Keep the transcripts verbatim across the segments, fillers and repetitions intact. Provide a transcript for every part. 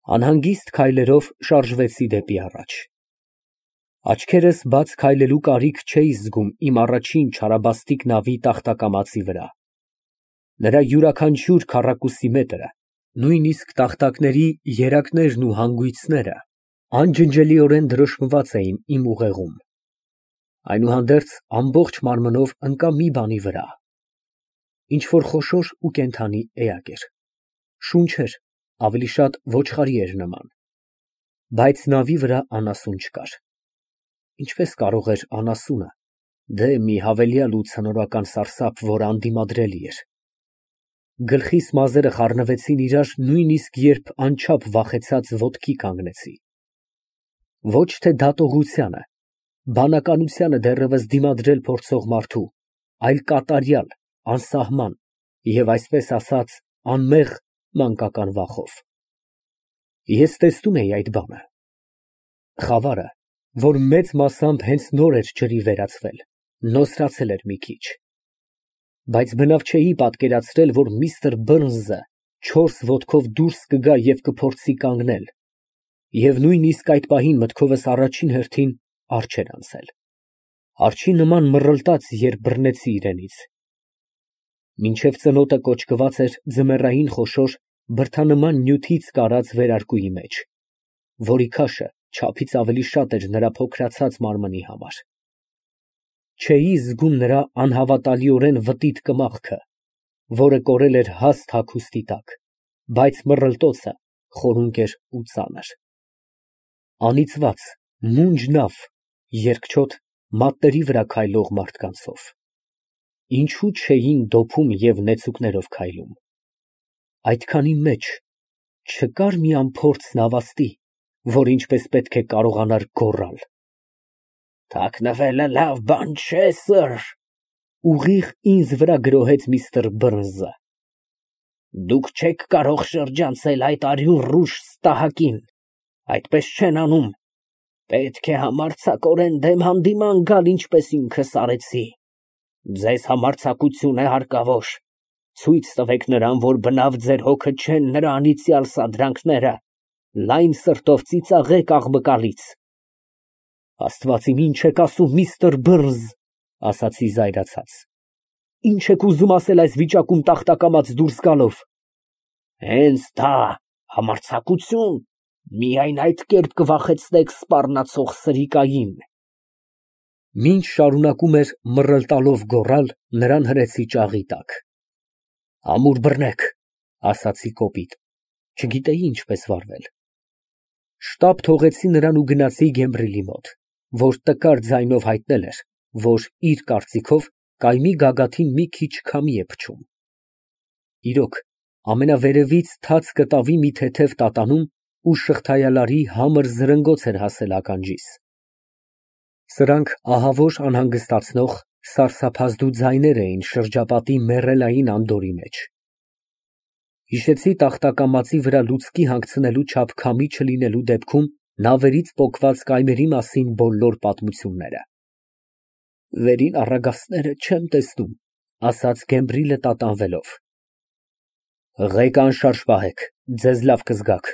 Անհանգիստ քայլերով շարժվեցի դեպի առաջ։ Աչքերս բաց քայլելու կարիք չէի զգում իմ առաջին չարաբաստիկ նավի տախտակամածի վրա։ Նրա յուրաքանչյուր քառակուսի մետրը, նույնիսկ տախտակների երակներն ու հանգույցները անջնջելիորեն դրոշմված էին իմ ուղեղում։ Այնուհանդերձ ամբողջ մարմնով ընկա մի բանի վրա, ինչ֊որ խոշոր ու կենդանի էակ էր, շունչ էր, ավելի շատ ոչխարի էր նման, բայց նավի վրա անասուն չկար։ Ինչպես կարող էր անասունը, դե մի հավելյալ ու ցնորական սարսափ, որ անդիմադրելի էր։ Գլխիս մազերը խառնվեցին իրար նույնիսկ երբ անչափ վախեցած ոտքի կանգնեցի։ Ոչ թե դատողությանը, բանականությանը դեռևս դիմադրել փորձող մարդու, այլ կատարյալ, անսահման և, այսպես ասած, անմեղ մանկական վախով։ Ես տեսնում էի այդ բանը։ Խավարը, որ մեծ մասամբ հենց նոր էր ջրի վերածվել, նոսրացել էր մի քիչ, բայց բնավ չէի պատկերացրել, որ միստր Բըրնսը չորս ոտքով դուրս կգա և կփորձի կանգնել, և նույնիսկ այդ պահին մտքովս առաջին հերթին առաջ էր անցել, արջի նման մռլտաց, երբ բռնեցի իրենից։ Մինչև ծնոտը կոճկված էր ձմեռային խոշոր, բրդանման նյութից կարած վերարկուի մեջ, որի քաշը չափից ավելի շատ էր նրա փոքրացած մարմնի համար։ Չէի զգում նրա անհավատալիորեն վտիտ կմախքը, որը կորել էր հաստ հագուստի տակ, բայց մռլտոցը խորունկ էր ու ծանր։ Անիծված, մունջ նավ, երկչոտ, մատների վրա քայլող մարդկանցով։ Ինչո՞ւ չէին դոփում և նեցուկներով քայլում։ Այդքանի մեջ չկա՞ր մի անփորձ նավաստի, որ ինչպես պետք է կարողանար գոռալ։ Թաքնվելը լավ բան չէ, սըր, ուղիղ ինձ վրա գրոհեց միստր Բըրնսը։ Դուք չեք կարող շրջանցել այդ արյուն ռուժ ստահակին, այդպես չեն անում, պետք է համարձակորեն դեմ հանդիման գալ, ինչպես ինքս արեցի։ Ձեզ համարձակություն է հարկավոր, ցույց տվեք նրան, որ բնավ ձեր հոգը չեն նրա անիծյալ սադրանքները, լայն սրտով ծիծաղեք աղմկալից։ Աստված իմ, ինչ եք ասում, միստր Բըրնս, ասացի զայրացած, ինչ եք ուզում ասել այս վիճակում տախտակամաց դուրս գալով։ Հենց դա, համարձակություն, միայն այդ կերպ կվախեցնեք սպառնացող սրիկային։ Մինչ շարունակում էր մռլտալով գոռալ, նրան հրեցի ճաղի տակ։ Ամուր բռնեք, ասացի կոպիտ, չգիտեի ինչպես վարվել։ Շտապ թողեցի նրան ու գնացի Գեմբրիլի մոտ, որ տկար ձայնով հայտնել էր, որ իր կարծիքով կայմի գագաթին մի քիչ քամի է փչում։ Իրոք, ամենավերևից թաց կտավի մի թեթև տատանում ու շղթայալարի համր զրնգոց էր հասել ականջիս։ Սրանք ահավոր անհանգստացնող, սարսափազդու ձայներ էին շրջապատի մեռելային անդորի մեջ։ Հիշեցի տախտակամածի վրա լուցկի հանգցնելու չափ քամի չլինելու դեպքում նավերից պոկված կայմերի մասին բոլոր պատմությունները։ Վերին առագաստները չեմ տեսնում, ասաց Գեմբրիլը տատանվելով։ Ղեկը անշարժ պահեք, ձեզ լավ կզգաք,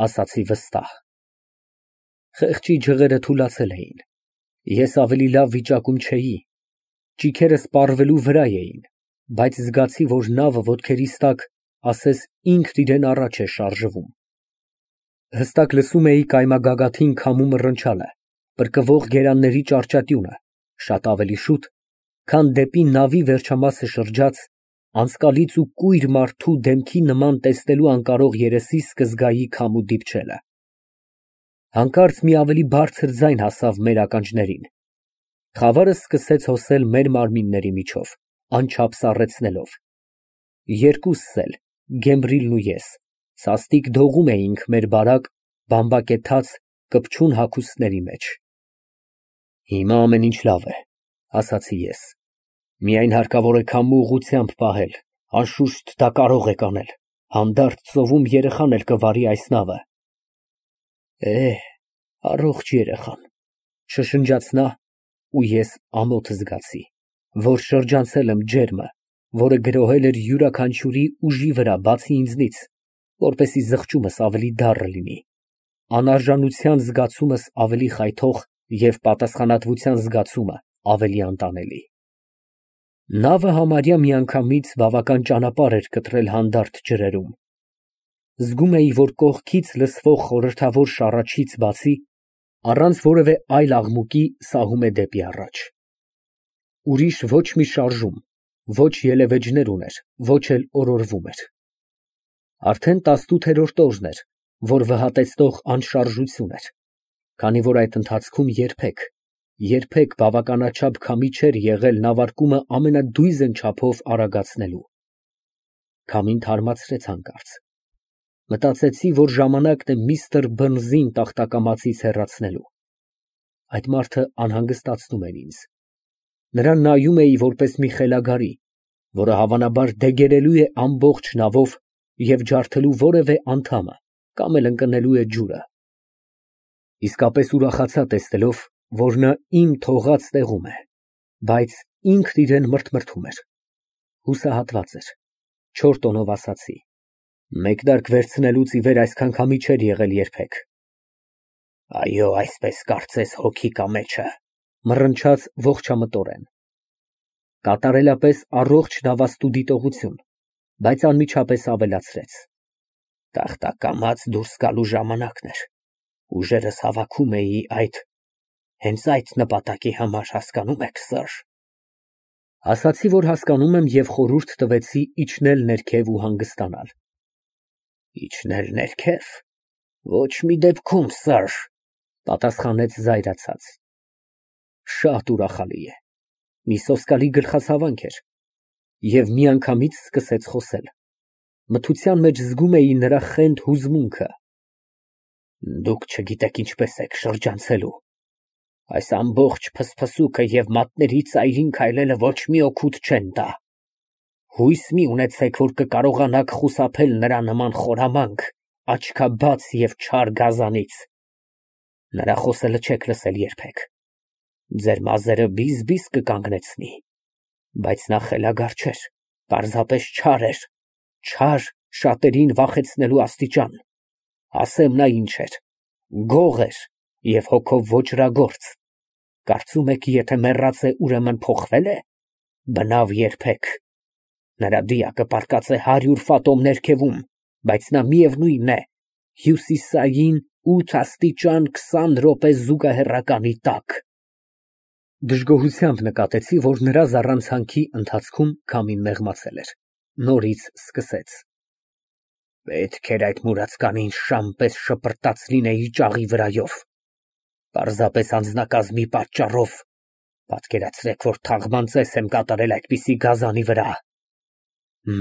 ասացի վստահ։ Խեղճի ջղերը թուլացել էին, ես ավելի լավ վիճակում չէի, ճիքերս պառվելու վրա էին, բայց զգացի, որ նավը ոտքերիս տակ ասես ինքն իրան առաջ է շարժվում։ Հստակ լսում էի կայմագագաթին քամու մռնչալը, պրկվող գերանների ճառճատյունը, շատ ավելի շուտ, քան դեպի նավի վերջամասը շրջած, անցկալից ու կույր մարդու դեմքի նման տեսնելու անկարող երեսիս կզգայի քամու դիպչելը։ Հանկարծ մի ավելի բարձր ձայն հասավ մեր ականջներին։ Խավարը սկսեց հոսել մեր մարմինների միջով, անչափ սառեցնելով։ Երկուսս էլ, Գեմբրիլն ու ես, սաստիկ դողում էինք մեր բարակ, բամբակեթած, կպչուն հագուստների մեջ։ Հիմա ամեն ինչ լավ է, ասացի ես, միայն հարկավոր է քամու ուղղությամբ պահել, անշուշտ դա կարող եք անել, հանդարտ ծովում երեխան էլ կվարի այս նավը։ Էհ, առողջ երեխան, շշնջաց նա, ու ես ամոթ զգացի, որ շրջանցել եմ ջերմը, որը գրոհել էր յուրաքանչյուրի ուժի վրա, բացի ինձնից, որպեսզի զղջումս ավելի դառը լինի, անարժանության զգացումս ավելի խայթող և պատասխանատվության զգացումը ավելի անտանելի։ Նավը համարյա միանգամից բավական ճանապարհ էր կտրել հանդարտ ջրերում։ Զգում էի, որ կողքից լսվող խորհրդավոր շառաչից բացի, առանց որևէ այլ աղմուկի սահում է դեպի առաջ։ Ուրիշ ոչ մի շարժում, ոչ ելևէջներ ուներ, ոչ էլ օրորվում էր։ Արդեն տասնութերորդ օրն էր, որ վհատեցնող անշարժություն էր, քանի որ այդ ընթացքում երբեք, երբեք բավականաչափ քամի չէր եղել նավարկումը ամենադույզն չափով արագացնելու։ Քամին թարմացրեց հանկարծ։ Մտածեցի, որ ժամանակն է միստր Բըրնսին տախտակամածից հեռացնելու։ Այդ մարդը անհանգստացնում էր ինձ։ Նրան նայում էի որպես մի խելագարի, որը հավանաբար դեգերելու է ամբողջ նավով և ջարդելու որևէ անդամը կամ էլ ընկնելու է ջուրը։ Իսկապես ուրախացա տեսնելով, որ նա իմ թողած տեղում է, բայց ինքն իրան մրթմրթում էր։ Հուսահատված էր։ Չորս տոնով ասացի. «Մեկնարկ վերցնելուց ի վեր այսքան քամի չէր եղել երբեք»։ «Այո, այսպես կարծես հոգի կա մեջը», մռնչաց ողջամտորեն։ Կատարելապես առողջ նավաստու դիտողություն, բայց անմիջապես ավելացրեց. «Տախտակամաց դուրս գալու ժամանակն էր, ուժերս հավաքում էի այդ, հենց այդ նպատակի համար, հասկանո՞ւմ եք, սըր»։ Ասացի, որ հասկանում եմ և խորհուրդ տվեցի իջնել ներքև ու հանգստանալ։ «Իջնել ներքև, ոչ մի դեպքում, սըր», պատասխանեց զայրացած։ Շատ ուրախալի է։ Մի սոսկալի գլխացավանք էր և միանգամից սկսեց խոսել։ Մթության մեջ զգում էի նրա խենթ հուզմունքը։ «Դուք չգիտեք ինչպես եք շրջանցելու։ Այս ամբողջ փսփսուկը և մատների ծայրին քայլելը ոչ մի օգուտ չեն տա։ Հույս մի ունեցեք, որ կկարողանաք խուսափել նրա նման խորամանկ, աչքաբաց և չար գազանից։ Նրա խոսելը չեք լսել երբեք։ Ձեր մազերը բիզ֊բիզ կկանգնեցնի, բայց նա խելագար չէր, պարզապես չար էր, չար շատերին վախեցնելու աստիճան։ Ասեմ նա ինչ էր, գող էր և հոգով ոճրագործ։ Կարծում եք, եթե մեռած է, ուրեմն փոխվե՞լ է։ Բնավ երբեք։ Նրա դիակը պառկած է հարյուր ֆաթոմ ներքևում, բայց նա միևնույն է, հյուսիսային ութ աստիճան քսան րոպե զուգահեռականի տակ»։ Դժգոհությամբ նկատեցի, որ նրա զառանցանքի ընթացքում քամին մեղմացել էր։ Նորից սկսեց. «Պետք էր այդ մուրացկանին շամ պես շպրտած լինեի ճաղի վրայով, պարզապես անձնակազմի պատճառով։ Պատկերացրեք, որ թաղման ծես եմ կատարել այդպիսի գազանի վրա։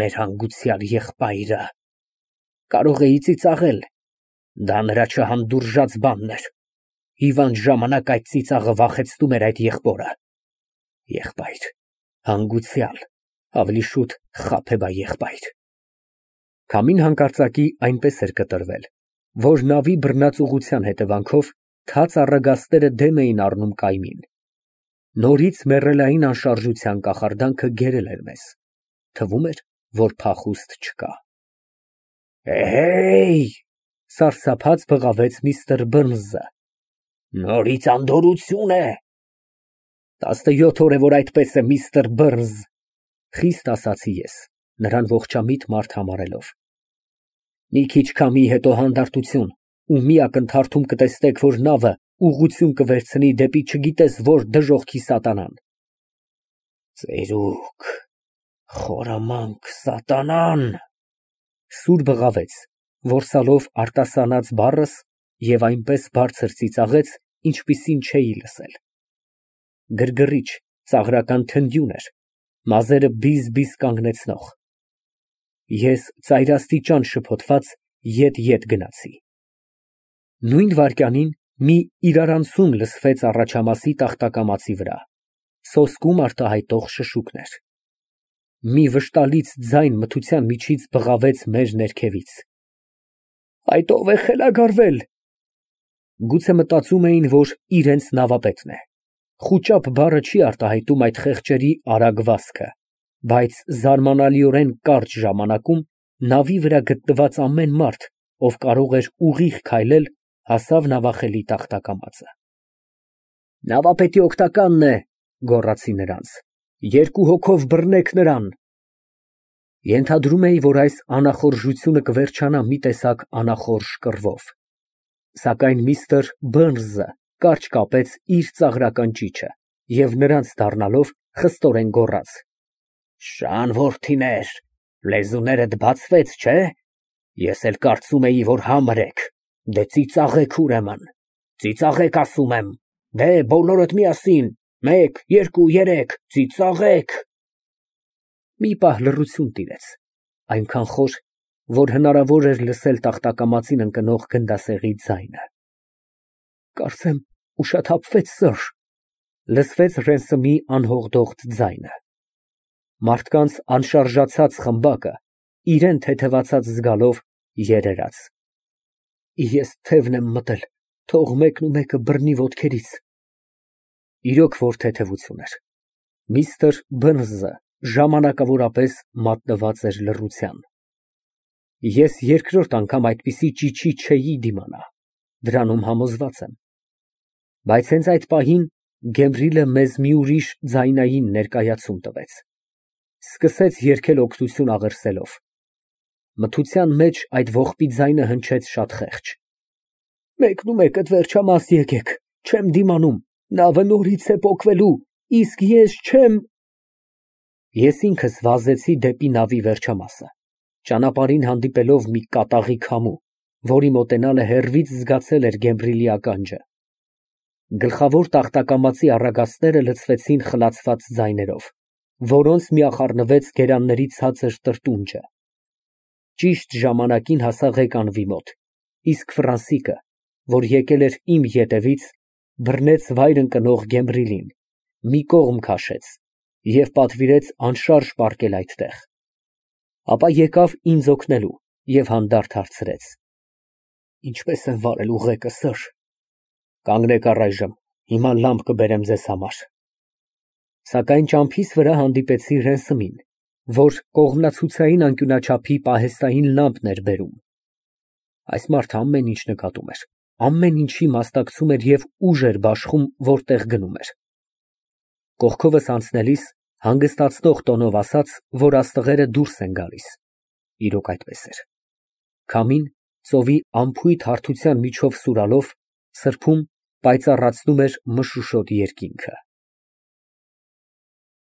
Մեր հանգուցյալ եղբայրը… կարող էի ծիծաղել, դա նրա չհանդուրժած բանն էր։ Հիվանդ ժամանակ այդ ծիծաղը վախեցնում էր այդ եղբորը։ Եղբայր… հանգուցյալ, ավելի շուտ խաբեբայեղբայր»։ Քամին հանկարծակի այնպես էր կտրվել, որ նավի բռնած ուղղության հետևանքով թաց առագաստերը դեմ էին առնում կայմին։ Նորից մեռելային անշարժության կախարդանքը գերել էր մեզ։ Թվում էր, որ փախուստ չկա։ «Էհեյ», սարսափած բղավեց միստր Բըրնսը, «նորից անդորրություն է»։ «Տասնյոթ օր է, որ այդպես է, միստր Բըրնս», խիստ ասացի ես, նրան ողջամիտ մարդ համարելով։ «Մի քիչ քամիի հետո հանդարտություն, ու մի ակնթարթում կտեսնեք, որ նավը ուղղություն կվերցնի դեպի չգիտես որ դժոխքի սատանան»։ «Ծերուկ, խորամանկ սատանան», սուր բղավեց, որսալով արտասանած բառս և այնպես բարձր ծիծաղեց, ինչպիսին չէի լսել։ Գրգռիչ, ծաղրական թնդյուն էր, մազերը բիզ֊բիզ կանգնեցնող։ Ես ծայրաստիճան շփոթված ետ֊ետ գնացի։ Նույն վայրկյանին մի իրարանցում լսվեց առաջամասի տախտակամածի վրա, սոսկում արտահայտող շշուկներ։ Մի վշտալից ձայն մթության միջից բղավեց մեր ներքևից. «Այդ ո՞վ է խելագարվել»։ Գուցե մտածում էին, որ իրենց նավապետն է։ Խուճապ բառը չի արտահայտում այդ խեղճերի արագ վազքը, բայց զարմանալիորեն կարճ ժամանակում Նավի վրա գտնված ամեն մարդ, ով կարող էր ուղիղ քայլել, հասավ նավախելի տախտակամածը։ Նավապետի օգնականն է, գոռացի նրանց, երկու հոգով բռնեք նրան։ Ենթադրում էի, որ այս անախորժությունը կվերջանա մի տեսակ անախորժ կռվով, սակայն միստր Բըրնսը կարճ կապեց իր ծաղրական ճիչը և նրանց դառնալով խստորեն գոռաց. Շան որդիներ, լեզուներդ բացվեց, չէ՞, ես էլ կարծում էի, որ համր եք, դե ծիծաղեք ուրեմն, ծիծաղեք ասում եմ, դե բոլորդ միասին, մեկ, երկու, երեք, ծիծաղեք։ Մի պահ լռություն տիրեց, այնքան խոր, որ հնարավոր էր լսել տախտակամածին ընկնող գնդասեղի ձայնը։ Կարծեմ ուշաթափվեց, սըր, լսվեց Ռենսոմի անհողդողդ ձայնը։ Մարդկանց անշարժացած խմբակը, իրան թեթևացած զգալով, երերաց։ Ես թևն եմ մտել, թող մեկնումեկը բռնի ոտքերից։ Իրոք որ թեթևություն էր։ Միստր Բըրնսը ժամանակավորապես մատնված էր լռության։ Ես երկրորդ անգամ այդպիսի ճիչի չէի դիմանա, դրանում համոզված եմ։ Բայց հենց այդ պահին Գեմբրիլը մեզ մի ուրիշ ձայնային ներկայացում տվեց, սկսեց երգել օգնություն աղերսելով։ Մթության մեջ այդ ողբի ձայնը հնչեց շատ խեղճ։ Մեկնումեկդ վերջամաս եկեք, չեմ դիմանում, նավը նորից է պոկվելու, իսկ ես չեմ… Ես ինքս վազեցի դեպի նավի վերջամասը, ճանապարհին հանդիպելով մի կատաղի քամու, որի մոտենալը հեռվից զգացել էր Գեմբրիլի ականջը։ Գլխավոր տախտակամածի առագաստները լցվեցին խլացված ձայներով, որոնց միախառնվեց գերանների ցածր տրտունջը։ Ճիշտ ժամանակին հասա ղեկանվի մոտ, իսկ Ֆրանսիկը, որ եկել էր իմ ետևից, բռնեց վայր ընկնող Գեմբրիլին, մի կողմ քաշեց և պատվիրեց անշարժ պառկել այդտեղ, ապա եկավ ինձ օգնելու և հանդարտ հարցրեց. Ինչպե՞ս են վարել ուղեկը, սըր։ Կանգնեք առայժմ, հիմա լամպ կբերեմ ձեզ համար։ Սակայն ճամփիս վրա հանդիպեցի Ռենսոմին, որ կողմնացուցային անկյունաչափի պահեստային լամպն էր բերում։ Այս մարդը ամեն ինչ նկատում էր, ամեն ինչի մասնակցում էր և ուժ էր բաշխում, որտեղ գնում էր։ Կողքովս անցնելիս հանգստացնող տոնով ասաց, որ աստղերը դուրս են գալիս։ Իրոք այդպես էր։ Քամին, ծովի անփույթ հարթության միջով սուրալով, սրբում, պայծառացնում էր մշուշոտ երկինքը։